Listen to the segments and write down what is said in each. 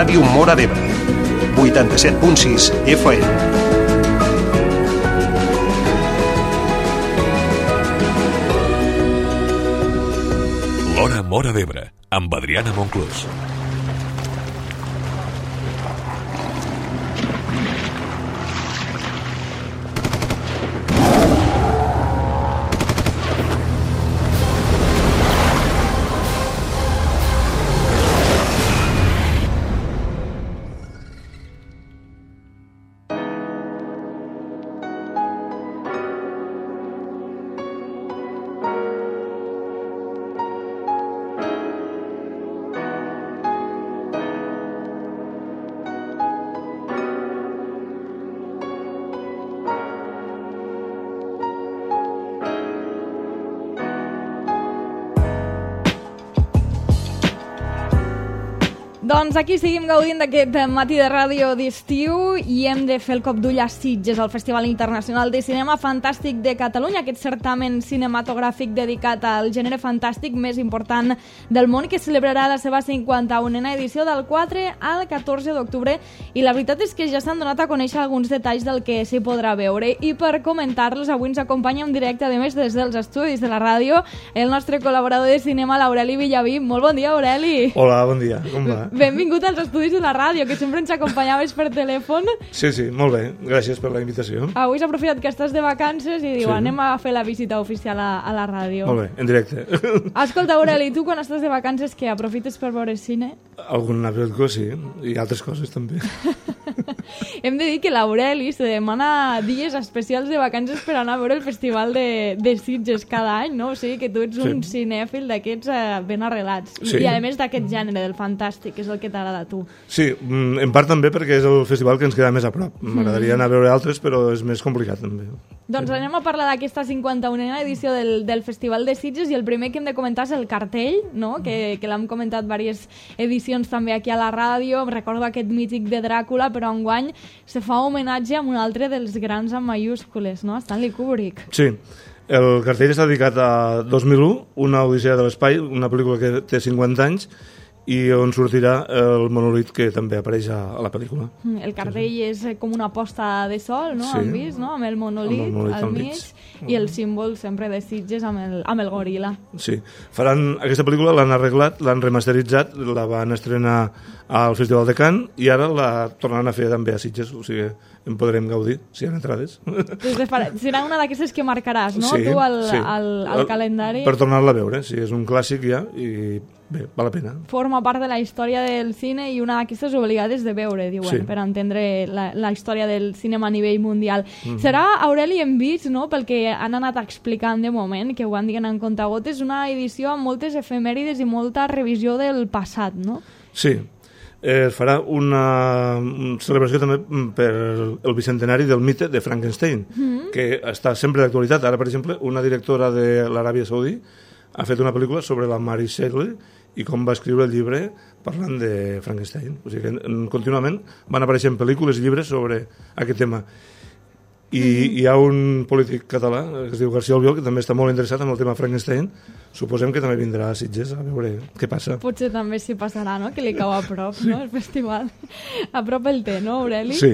Ràdio Móra d'Ebre. 87.6 FM. L'Hora Móra d'Ebre, amb Adriana Monclús. Doncs aquí seguim gaudint d'aquest matí de ràdio d'estiu i hem de fer el cop d'ull a Sitges, el Festival Internacional de Cinema Fantàstic de Catalunya, aquest certamen cinematogràfic dedicat al gènere fantàstic més important del món, que celebrarà la seva 51a edició del 4 al 14 d'octubre, i la veritat és que ja s'han donat a conèixer alguns detalls del que s'hi podrà veure, i per comentar-los avui ens acompanya en directe, a més des dels estudis de la ràdio, el nostre col·laborador de cinema, l'Aureli Villaví. Molt bon dia, Aureli. Hola, bon dia, com va? Benvingut als estudis de la ràdio, que sempre ens acompanyaves per telèfon. Sí, molt bé, gràcies per la invitació. Avui s'ha aprofitat que estàs de vacances i diu, anem a fer la visita oficial a la ràdio. Molt bé, en directe. Escolta, Aureli, tu quan estàs de vacances què, aprofites per veure cine? Algun cosa, sí, i altres coses també. Hem de dir que l'Aureli se demana dies especials de vacances per anar a veure el Festival de Sitges cada any, no? O sigui que tu ets un cinèfil d'aquests ben arrelats. I a més d'aquest gènere, del fantàstic, que és el que t'agrada a tu. Sí, en part també perquè és el festival que ens queda més a prop. M'agradaria anar a veure altres, però és més complicat també. Doncs anem a parlar d'aquesta 51a edició del Festival de Sitges, i el primer que hem de comentar és el cartell, no? Que l'hem comentat diverses edicions també aquí a la ràdio. Em recordo aquest mític de Dràcula, però enguany se fa homenatge a un altre dels grans amb mayúscules, no? Stanley Kubrick. Sí, el cartell està dedicat a 2001, una odissea de l'espai, una pel·lícula que té 50 anys, i on sortirà el monolit que també apareix a la pel·lícula. El cartell és com una posta de sol, no? Sí. Han vist, no? Amb el monolit al mig i el símbol sempre de Sitges amb el goril·la. Sí. Aquesta pel·lícula l'han arreglat, l'han remasteritzat, la van estrenar al Festival de Cannes i ara la tornaran a fer també a Sitges, o sigui, en podrem gaudir, si hi ha entrades. Serà una d'aquestes que marcaràs, no? Sí, tu al calendari. Per tornar-la a veure, sí, és un clàssic ja i bé, val la pena. Forma part de la història del cine i una d'aquestes obligades de veure, diuen, per entendre la història del cinema a nivell mundial. Serà, Aureli, hem vist, no?, pel que han anat explicant de moment, que ho van dient en comptagotes, una edició amb moltes efemèrides i molta revisió del passat, no? Sí. Es farà una celebració també per el bicentenari del mite de Frankenstein, que està sempre d'actualitat. Ara, per exemple, una directora de l'Aràbia Saudí ha fet una pel·lícula sobre la Mary Shelley i com va escriure el llibre parlant de Frankenstein. O sigui que contínuament van apareixent pel·lícules i llibres sobre aquest tema. I hi ha un polític català que es diu García Albiol, que també està molt interessat en el tema Frankenstein. Suposem que també vindrà a Sitges a veure què passa. Potser també s'hi passarà, no?, que li cau a prop, no?, el festival. A prop el té, no, Aureli? Sí.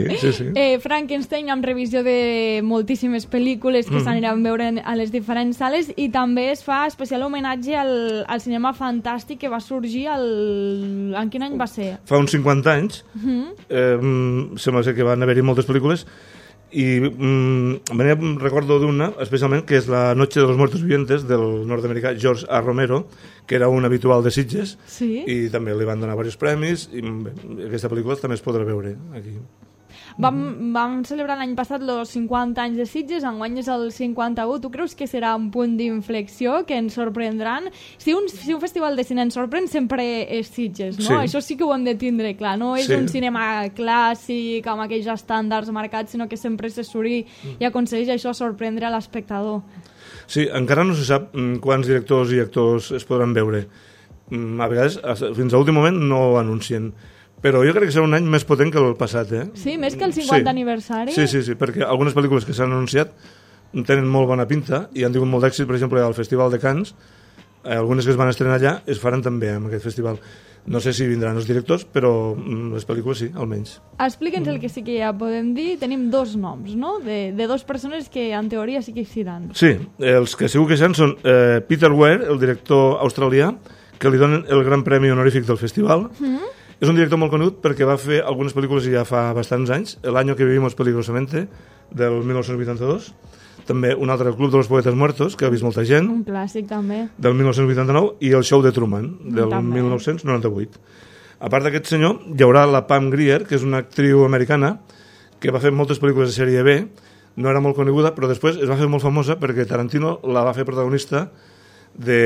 Frankenstein amb revisió de moltíssimes pel·lícules que s'aniran a veure a les diferents sales, i també es fa especial homenatge al cinema fantàstic que va sorgir en quin any va ser? Fa uns 50 anys. Sembla ser que van haver-hi moltes pel·lícules i recordo d'una especialment, que és La noche de los muertos vivientes del nord-americà George A. Romero, que era un habitual de Sitges, i també li van donar diversos premis, i aquesta pel·lícula també es podrà veure aquí. Vam celebrar l'any passat els 50 anys de Sitges, enguany és el 51. Tu creus que serà un punt d'inflexió, que ens sorprendran? Si un festival de cine ens sorprèn, sempre és Sitges, no? Això sí que ho hem de tindre clar. No és un cinema clàssic, amb aquells estàndards marcats, sinó que sempre s'assuri i aconsegueix això sorprendre a l'espectador. Sí, encara no se sap quants directors i actors es podran veure. A vegades, fins a l'últim moment, no ho anuncien. Però jo crec que serà un any més potent que el passat, eh? Sí, més que el 50 aniversari? Sí, perquè algunes pel·lícules que s'han anunciat tenen molt bona pinta i han tingut molt d'èxit, per exemple, al Festival de Cannes. algunes que es van estrenar allà es faran també en aquest festival. No sé si vindran els directors, però les pel·lícules sí, almenys. Explica'ns el que sí que ja podem dir. Tenim 2 noms, no? De 2 persones que en teoria sí que hi seran. Sí, els que segur que seran són Peter Weir, el director australià, que li donen el gran premi honorífic del festival. És un director molt conegut perquè va fer algunes pel·lícules ja fa bastants anys. El año que vivimos peligrosamente, del 1982. També un altre, El club de los poetes muertos, que ha vist molta gent. Un clàssic, també. Del 1989, i El show de Truman, del També. 1998. A part d'aquest senyor, hi haurà la Pam Grier, que és una actriu americana, que va fer moltes pel·lícules de sèrie B, no era molt coneguda, però després es va fer molt famosa perquè Tarantino la va fer protagonista de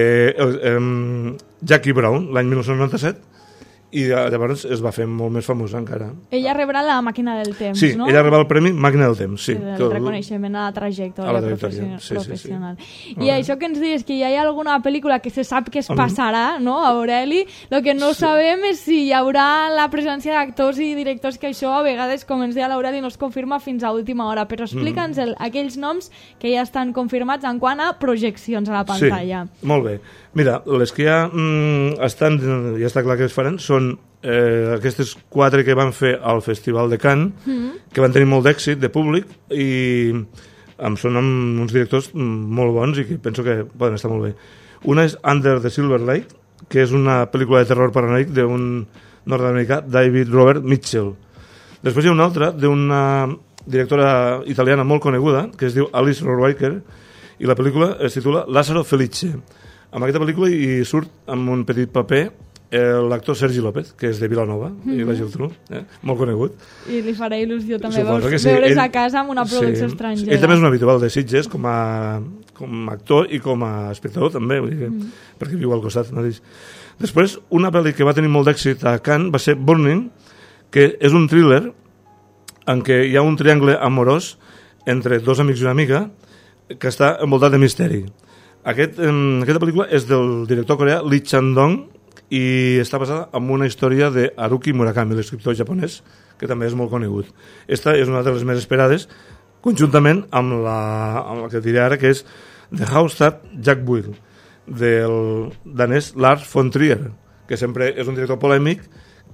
Jackie Brown, l'any 1997, i llavors es va fer molt més famosa encara. Ella rebrà la màquina del temps, sí, no? ella rebrà el premi Màquina del Temps, sí. El reconeixement a la trajectòria, professional. Sí. I això que ens dius, que hi ha alguna pel·lícula que se sap que es passarà, no, Aureli? El que no sabem és si hi haurà la presència d'actors i directors, que això a vegades, com ens deia l'Aureli, no es confirma fins a última hora, però explica'ns aquells noms que ja estan confirmats en quant a projeccions a la pantalla. Sí, molt bé. Mira, les que ja estan, ja està clar que es faran, són aquestes 4 que van fer al Festival de Cannes, que van tenir molt d'èxit de públic i són amb uns directors molt bons i que penso que poden estar molt bé. Una és Under the Silver Lake, que és una pel·lícula de terror paranoic d'un nord-americà, David Robert Mitchell. Després hi ha una altra d'una directora italiana molt coneguda, que es diu Alice Rohrwacher, i la pel·lícula es titula Lázaro Felice. En aquesta pel·lícula hi surt amb un petit paper l'actor Sergi López, que és de Vilanova, i la Geltrú, molt conegut. I li farà il·lusió també sí. Veure's a casa amb una producció estrangera. Ell també és un habitual de Sitges com a actor i com a espectador també, vull dir, perquè viu al costat mateix. Després, una pel·li que va tenir molt d'èxit a Cannes va ser Burning, que és un thriller en què hi ha un triangle amorós entre 2 amics i una amiga que està envoltat de misteri. Aquesta pel·lícula és del director coreà Lee Chang-dong i està basada en una història de Haruki Murakami, l'escriptor japonès, que també és molt conegut. Esta és una de les més esperades, conjuntament amb la que diré ara, que és The House That Jack Built, del danès Lars von Trier, que sempre és un director polèmic,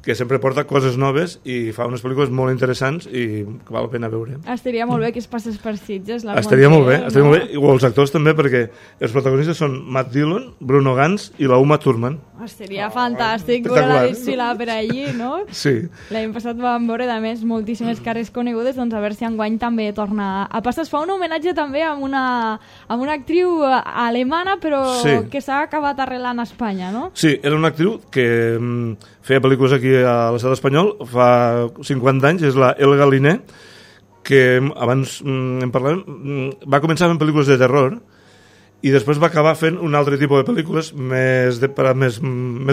que sempre porta coses noves i fa unes pel·lícules molt interessants i que val la pena veure. Estaria molt bé que es passés per Sitges. Estaria molt bé, o els actors també, perquè els protagonistes són Matt Dillon, Bruno Gantz i la Uma Thurman. Seria fantàstic veure-la desfilar per allí, no? Sí. L'any passat vam veure, a més, moltíssimes cares conegudes, doncs a veure si enguany també torna a passar. Es fa un homenatge també a una actriu alemana, però que s'ha acabat arrelant a Espanya, no? Sí, era una actriu que feia pel·lícules aquí a l'estat espanyol fa 50 anys, és la Elga Liné, que abans en parlàvem, va començar fent pel·lícules de terror i després va acabar fent un altre tipus de pel·lícules per a més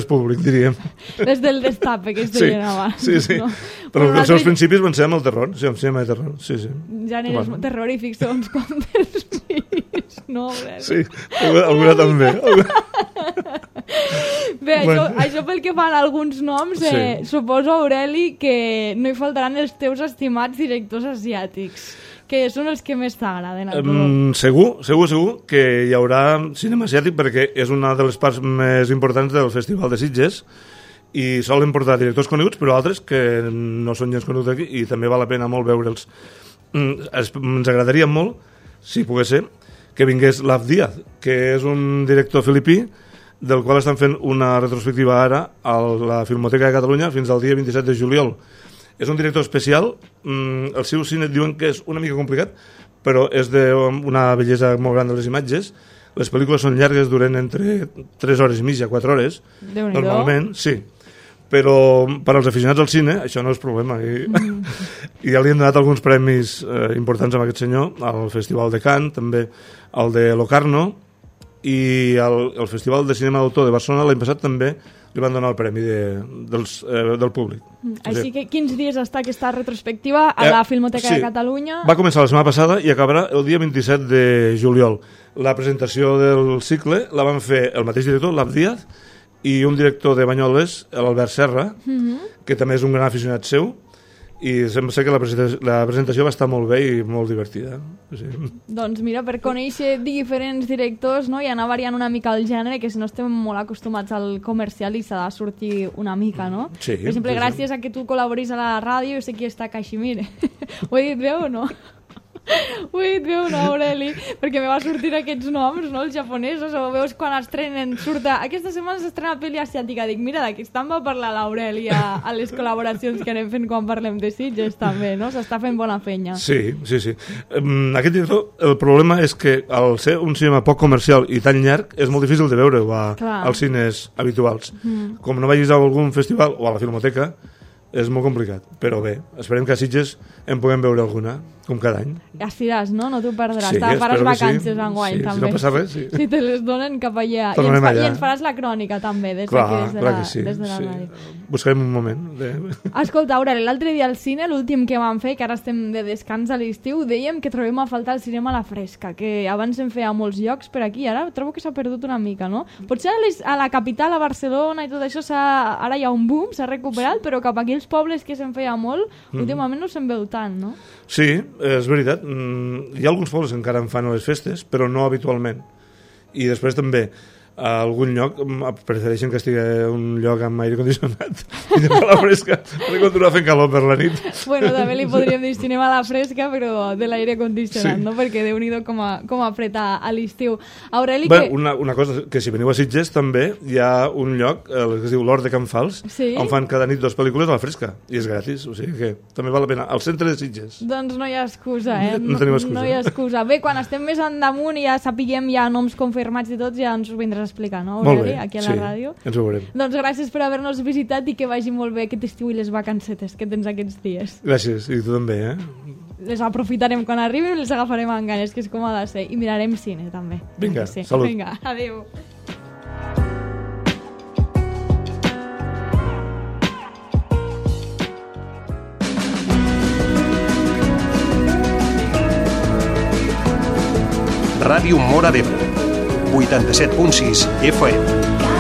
públic, diríem. Les del destape, que es deien abans. Sí. No? Però els seus principis van ser amb el terror, sí, amb cinema de terror. Sí. Gèneres terrorífics, segons com te'ls fills, no? Sí, alguna també. Bé, això pel que fan alguns noms, suposo, Aureli, que no hi faltaran els teus estimats directors asiàtics, que són els que més t'agraden al grup. Segur que hi haurà cinema asiàtic, perquè és una de les parts més importants del Festival de Sitges i solen portar directors coneguts, però altres que no són gens coneguts aquí i també val la pena molt veure'ls. Ens agradaria molt, si pogués ser, que vingués Lav Díaz, que és un director filipí del qual estan fent una retrospectiva ara a la Filmoteca de Catalunya fins al dia 27 de juliol. És un director especial, el seu cine diuen que és una mica complicat, però és d'una bellesa molt gran de les imatges. Les pel·lícules són llargues, duren entre 3 hores i mitja, 4 hores, normalment, sí. Però per als aficionats al cine això no és problema. I ja li han donat alguns premis importants a aquest senyor, al Festival de Cannes, també al de Locarno, i el Festival de Cinema d'Autor de Barcelona l'any passat també li van donar el premi del públic. Així que quins dies està aquesta retrospectiva a la Filmoteca de Catalunya? Va començar la setmana passada i acabarà el dia 27 de juliol. La presentació del cicle la van fer el mateix director, Lav Díaz, i un director de Banyoles, l'Albert Serra, que també és un gran aficionat seu, i sembla ser que la presentació va estar molt bé i molt divertida. Sí. Doncs mira, per conèixer diferents directors, no? I anar variant una mica el gènere, que si no estem molt acostumats al comercial i s'ha de sortir una mica, no? Sí, per exemple, gràcies a que tu col·laboris a la ràdio, jo sé qui està Caiximir. Ho he dit bé o no? Ho he dit bé o no, Aureli? Perquè me va sortir aquests noms, no? Els japonesos, o veus quan estrenen, aquesta setmana s'estrena pel·li asiàtica, dic, mira, d'aquí estan va parlar l'Aureli a les col·laboracions que anem fent quan parlem de Sitges, també, no? S'està fent bona feina. Sí. Aquest director, el problema és que al ser un cinema poc comercial i tan llarg, és molt difícil de veure als cines habituals. Com no vagis a algun festival o a la Filmoteca, és molt complicat, però bé, esperem que a Sitges en puguem veure alguna, com cada any. Estiràs, no? No t'ho perdràs. Sí, faràs vacances enguany, sí, també. Si no passa res, sí. Si te les donen cap allà. I ens faràs la crònica, també, des de la ràdio. Buscarem un moment. Escolta, Aureli, l'altre dia al cine, l'últim que vam fer, que ara estem de descans a l'estiu, dèiem que trobem a faltar el cinema a la fresca, que abans en feia molts llocs per aquí, ara trobo que s'ha perdut una mica, no? Potser a la capital, a Barcelona i tot això, ara hi ha un boom, s'ha recuperat, però cap aquí els pobles que se'n feia molt, últimament no se'n veu tant, no? Sí, és veritat. Hi ha alguns pobles que encara en fan a les festes, però no habitualment. I després també a algun lloc prefereixen que estigui un lloc amb aire condicionat i de la fresca per continuar fent calor per la nit. Bueno, també li podríem dir cinema a la fresca, però de l'aire condicionat, no? Perquè Déu-n'hi-do com a apreta a l'estiu. Aureli, una cosa, que si veniu a Sitges també hi ha un lloc que es diu l'Hort de Can Fals, on fan cada nit 2 pel·lícules a la fresca i és gratis, o sigui que també val la pena, al centre de Sitges. Doncs no hi ha excusa, No tenim excusa. No hi ha excusa. Bé, quan estem més endamunt i ja sapiguem ja noms confirmats i tots, ja ens ho vindràs a explicar, no, Aureli, aquí a la ràdio? Ens ho veurem. Doncs gràcies per haver-nos visitat i que vagi molt bé aquest estiu i les vacancetes que tens aquests dies. Gràcies, i tu també, Les aprofitarem quan arribin i les agafarem amb ganes, que és com ha de ser. I mirarem cine, també. Vinga, sí. salut. Vinga, adéu. Ràdio Móra d'Ebre, 87.6 FM.